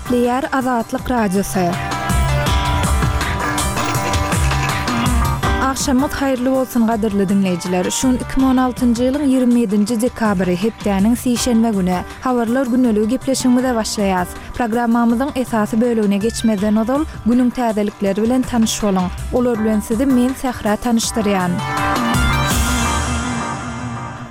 Gepleýär Azatlyk Radiosy. Agşamyňyz haýyrly bolsun gadyrly diňleýjiler. Şu gün 2016-njy ýylyň 27-nji dekabry, hepdäniň sişenbe güni. Habarlar gündeligi gepleşigimize başlaýas. Programmamyzyň esasy bölegine geçmezden ozal, günüň täzelikleri bilen tanyş boluň. Olar bilen sizi men Sähra tanyşdyrýan.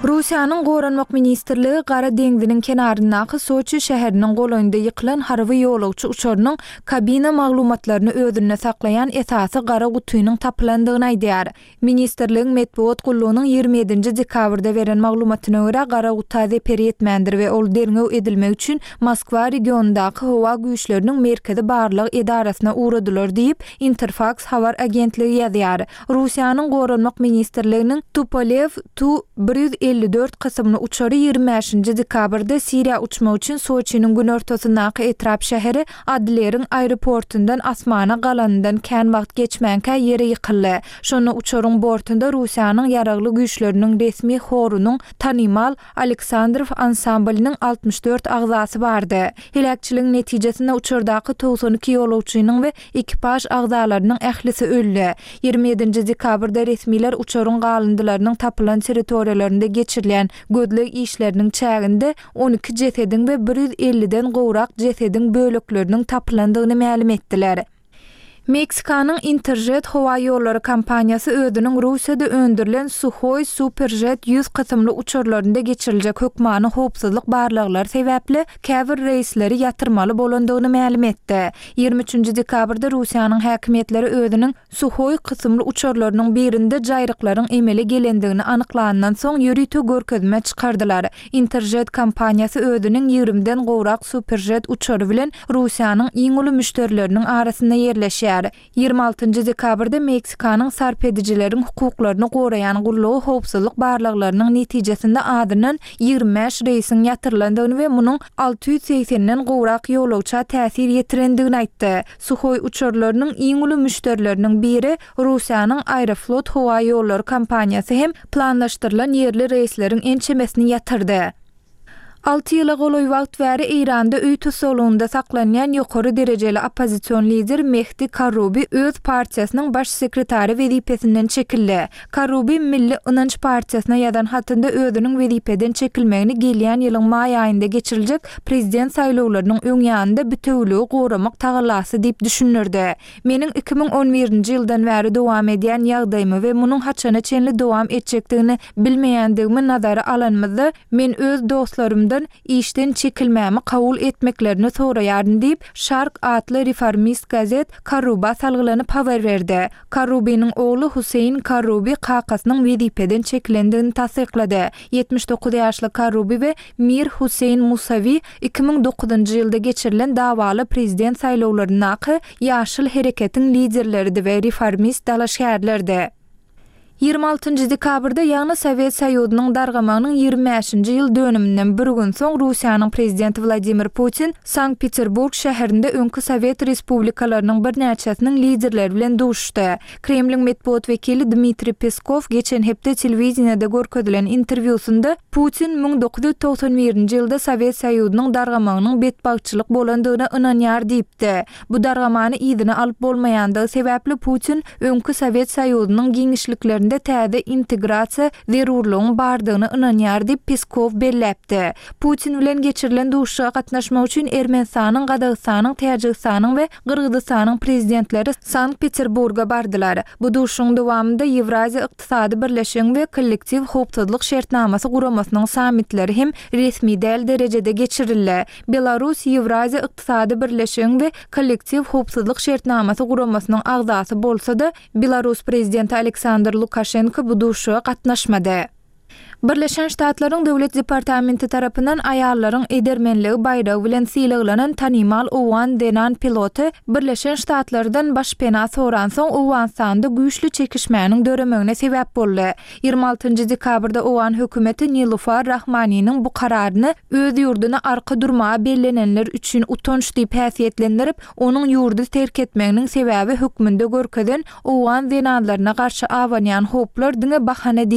Russiýanyň Goranmak ministrligi Gara deňziniň kenaryndaky Soçi şäheriniň golaýynda ýykylan harby ýolagçy uçarynyň kabina maglumatlaryny özünde saklaýan esasy gara gutynyň tapylandygyny aýdýar. Ministrligiň metbugat gullugynyň 27-nji dekabrda beren maglumatyna görä, gara guta zeper ýetmändir we ol derňew edilmek üçin Moskwa regionyndaky howa güýçleriniň merkezi barlag edarasyna ugradylar diýip, Interfaks habar agentligi ýazýar. Russiýanyň Goranmak ministrliginiň Tupolew Tu 154 kysymly uçary 25-nji dekabrda Siriýa uçmak üçin Soçiniň günortasyndaky etrap şäheri Adleriň aeroportundan asmana galanyndan kän wagt geçmänkä ýere ýykyldy. Şonda uçaryň bortunda Russiýanyň Ýaragly Güýçleriniň resmi horunyň tanymal Aleksandrow ansamblynyň 64 agzasy bardy. Heläkçiligiň netijesinde uçardaky 92 ýolagçynyň we Ekipaž agzalarynyň ählisi öldi. 27-nji dekabrda resmiler uçaryň galyndylarynyň tapylan territoriýalarynda geçirilýän gözleg işleriniň çäginde 12 jesediň we 150-den gowrak jesediň bölekleriniň tapylandygyny mälim etdiler. Meksikanyň Interjet howa ýollary kompaniýasy özüniň Russiýada öndürilen Suhoi Superjet 100 kysymly uçarlarynda geçiriljek hökmany howpsuzlyk barlaglary sebäpli käbir reýsleri ýatyrmaly bolandygyny mälim etdi. 23-nji dekabrda Russiýanyň häkimiýetleri özüniň Suhoi kysymly uçarlarynyň birinde jaýryklaryň emele gelendigini anyklanyndan soň ýörite görkezme çykardylar. Interjet kompaniýasy özüniň ýigrimiden gowrak Superjet uçary bilen Russiýanyň iň uly müşderileriniň arasynda ýerleşýär. 26-njy dekabrda Meksikanyň sarp edijileriň hukuklaryny goraýan gullugy howpsuzlyk barlaglarynyň netijesinde azyndan 25 reýsiň ýatyrylandygyny we munuň 680-den gowrak ýolagça täsir ýetirendigini aýtdy. Suhoý uçarlarynyň iň uly müşderileriniň biri Russiýanyň Aeroflot howa ýollary kompaniýasy hem planlaşdyrylan ýerli reýsleriň ençemesini ýatyrdy. Alty ýyla golaý wagt bäri Eýranda öý tussaglygynda saklanýan ýokary derejeli oppozision lider Mehdi Karrubi öz partiýasynyň baş sekretary wezipesinden çekildi. Karrubi Milli ynanç partiýasyna ýazan hatynda özüniň wezipeden çekilmegini gelýän ýylyň maý aýynda geçiriljek prezident saýlawlarynyň öň ýanynda bitewüligi goramak tagallasy diýip düşündirdi. Meniň 2011-nji ýyldan bäri dowam edýän ýagdaýymy we munuň haçana çenli dowam etjekdigini bilmeýändigimi nazara alanymyzda, men öz dostlarymdan işden çekilmämi kabul etmeklerini soraýaryn diýip, Şark atly reformist gazet Karruba salgylanyp habar berdi. Karrubiniň ogly Huseýn Karrubi kakasynyň wezipeden çekilendigini tassyklady. 79 ýaşly Karrubi we Mir Huseýn Musawi 2009-njy ýylda geçirilen dawaly prezident saýlawlaryndaky Ýaşyl hereketiň liderleridi we reformist dalaşgärlerdi. 26-njy dekabrda, ýagny Sowet Soýuzynyň dargamagynyň 25-nji ýyl dönüminden bir gün soň Russiýanyň prezidenti Wladimir Putin Sankt-Peterburg şäherinde öňki sowet respublikalarynyň birnäçesiniň liderleri bilen duşuşdy. Kremliň metbugat wekili Dmitriý Peskow geçen hepde telewideniýede görkezilen interwýusynda Putin 1991-nji ýylda Sowet Soýuzynyň dargamagynyň betbagtçylyk bolandygyna ynanýar diýipdi. Bu dargamany yzyna alyp bolmaýandygy sebäpli Putin öňki Sowet Soýuzynyň giňişliklerinde täze integrasiýa zerurlygyň bardygyna ynanýar diýip, Peskow belläpdi. Putin bilen geçirilen duşuşyga gatnaşmak üçin Ermenistanyň, Gazagystanyň, Täjigistanyň we Gyrgyzystanyň prezidentleri Sankt-Peterburga bardylar. Bu duşuşygyň dowamynda Ýewraziýa Ykdysady Birleşigiň we Kollektiw Howpsuzlyk Şertnamasy Guramasynyň sammitleri hem resmi däl derejede geçirildi. Belarus Ýewraziýa Ykdysady Birleşigiň we Kollektiw Howpsuzlyk Şertnamasy Guramasynyň agzasy bolsa-da, belarus prezidenti Aleksandr Lukaşenko bu duşuşyga gatnaşmady. Birleşen Ştatlaryň Döwlet departamenti tarapyndan Aýallaryň edermenligi baýragy bilen sylaglanan tanymal owgan zenan piloty Birleşen Ştatlardan başpena soransoň Owganystanda güýçli çekişmäniň döremegine sebäp boldy. 26-njy dekabrda owgan hökümeti Nilufar Rahmaniniň bu kararyny öz ýurduna arka durmaga bellenenler üçin utanç diýip häsiýetlendirip, onuň ýurdy terk etmeginiň sebäbi hökmünde görkezen owgan zenanlaryna garşy abanýan howplar diňe bahana diýdi.